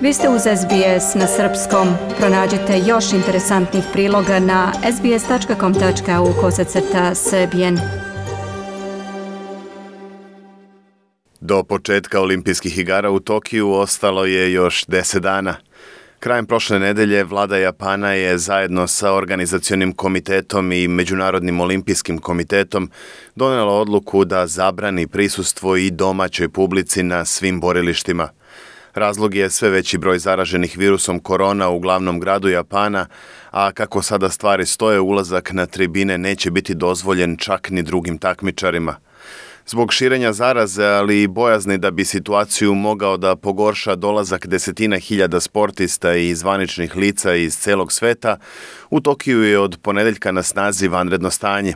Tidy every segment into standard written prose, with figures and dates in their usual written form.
Vi ste uz SBS na srpskom. Pronađite još interesantnih priloga na sbs.com.au/srbijen. Do početka olimpijskih igara u Tokiju ostalo je još 10 dana. Krajem prošle nedelje vlada Japana je zajedno sa organizacionim komitetom i Međunarodnim olimpijskim komitetom donela odluku da zabrani prisustvo i domaćoj publici na svim borilištima. Razlog je sve veći broj zaraženih virusom korona u glavnom gradu Japana, a kako sada stvari stoje, ulazak na tribine neće biti dozvoljen čak ni drugim takmičarima. Zbog širenja zaraze, ali i bojazni da bi situaciju mogao da pogorša dolazak desetina hiljada sportista i zvaničnih lica iz celog sveta, u Tokiju je od ponedeljka na snazi vanredno stanje.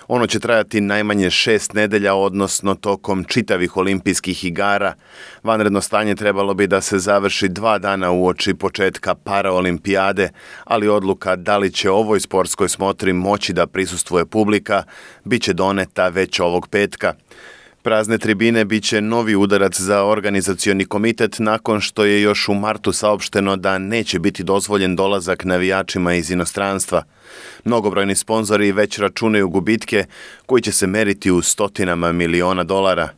Ono će trajati najmanje 6 nedelja, odnosno tokom čitavih olimpijskih igara. Vanredno stanje trebalo bi da se završi 2 dana uoči početka paraolimpijade, ali odluka da li će ovoj sportskoj smotri moći da prisustvuje publika bit će doneta već ovog petka. Prazne tribine bit će novi udarac za organizacioni komitet nakon što je još u martu saopšteno da neće biti dozvoljen dolazak navijačima iz inostranstva. Mnogobrojni sponzori već računaju gubitke koji će se meriti u stotinama miliona dolara.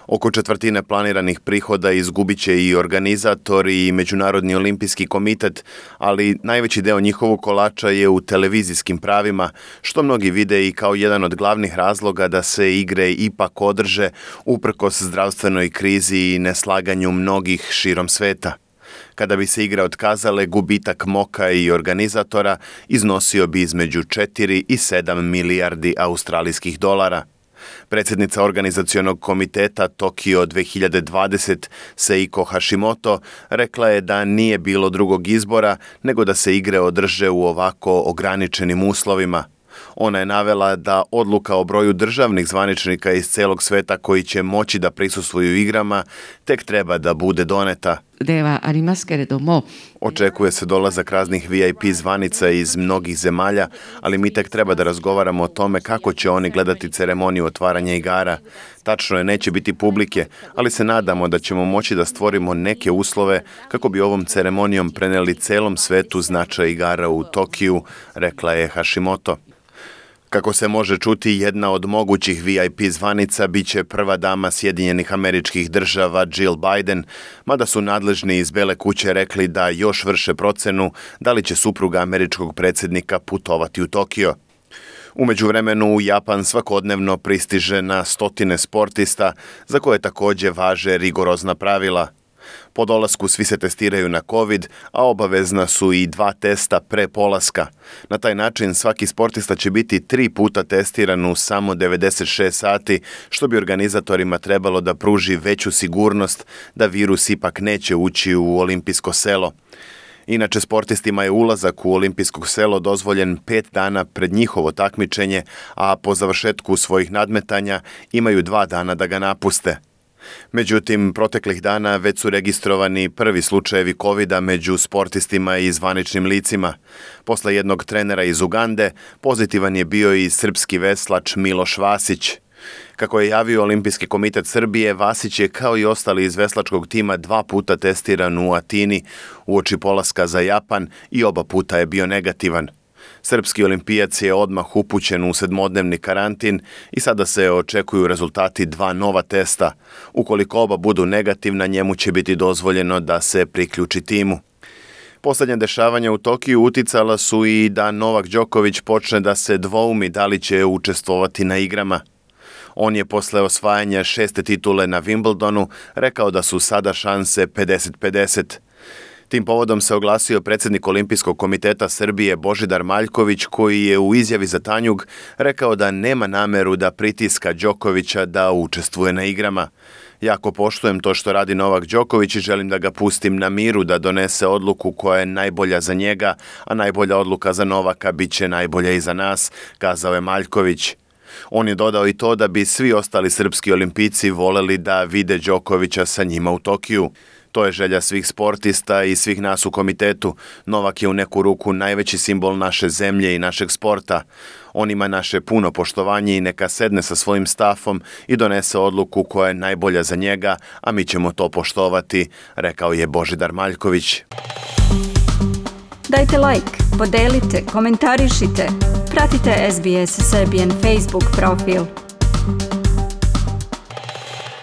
Oko četvrtine planiranih prihoda izgubit će i organizatori i Međunarodni olimpijski komitet, ali najveći deo njihovog kolača je u televizijskim pravima, što mnogi vide i kao jedan od glavnih razloga da se igre ipak održe uprkos zdravstvenoj krizi i neslaganju mnogih širom sveta. Kada bi se igre otkazale, gubitak MOKA i organizatora iznosio bi između 4 i 7 milijardi australijskih dolara. Predsjednica organizacionog komiteta Tokio 2020 Seiko Hashimoto rekla je da nije bilo drugog izbora nego da se igre održe u ovako ograničenim uslovima. Ona je navela da odluka o broju državnih zvaničnika iz celog sveta koji će moći da prisustvuju igrama tek treba da bude doneta. Očekuje se dolazak raznih VIP zvanica iz mnogih zemalja, ali mi tek treba da razgovaramo o tome kako će oni gledati ceremoniju otvaranja igara. Tačno je, neće biti publike, ali se nadamo da ćemo moći da stvorimo neke uslove kako bi ovom ceremonijom preneli celom svetu značaj igara u Tokiju, rekla je Hashimoto. Kako se može čuti, jedna od mogućih VIP zvanica biće prva dama Sjedinjenih Američkih Država Jill Biden, mada su nadležni iz Bele kuće rekli da još vrše procenu da li će supruga američkog predsjednika putovati u Tokio. U međuvremenu u Japan svakodnevno pristiže na stotine sportista za koje također važe rigorozna pravila. Po dolasku svi se testiraju na COVID, a obavezna su i 2 testa pre polaska. Na taj način svaki sportista će biti 3 puta testiran u samo 96 sati, što bi organizatorima trebalo da pruži veću sigurnost da virus ipak neće ući u olimpijsko selo. Inače, sportistima je ulazak u olimpijsko selo dozvoljen 5 dana pred njihovo takmičenje, a po završetku svojih nadmetanja imaju 2 dana da ga napuste. Međutim, proteklih dana već su registrovani prvi slučajevi COVID-a među sportistima i zvaničnim licima. Posle jednog trenera iz Ugande, pozitivan je bio i srpski veslač Miloš Vasić. Kako je javio Olimpijski komitet Srbije, Vasić je kao i ostali iz veslačkog tima 2 puta testiran u Atini uoči polaska za Japan i oba puta je bio negativan. Srpski olimpijac je odmah upućen u 7-dnevni karantin i sada se očekuju rezultati 2 nova testa. Ukoliko oba budu negativna, njemu će biti dozvoljeno da se priključi timu. Posljednja dešavanja u Tokiju uticala su i da Novak Đoković počne da se dvoumi da li će učestvovati na igrama. On je posle osvajanja 6. titule na Wimbledonu rekao da su sada šanse 50-50. Tim povodom se oglasio predsjednik Olimpijskog komiteta Srbije Božidar Maljković, koji je u izjavi za Tanjug rekao da nema nameru da pritiska Đokovića da učestvuje na igrama. Jako poštujem to što radi Novak Đoković i želim da ga pustim na miru da donese odluku koja je najbolja za njega, a najbolja odluka za Novaka bit će najbolja i za nas, kazao je Maljković. On je dodao i to da bi svi ostali srpski olimpijci voleli da vide Đokovića sa njima u Tokiju. To je želja svih sportista i svih nas u komitetu. Novak je u neku ruku najveći simbol naše zemlje i našeg sporta. On ima naše puno poštovanje i neka sedne sa svojim stafom i donese odluku koja je najbolja za njega, a mi ćemo to poštovati, rekao je Božidar Maljković. Dajte like, podelite, komentarišite. Pratite SBS Serbian Facebook profil.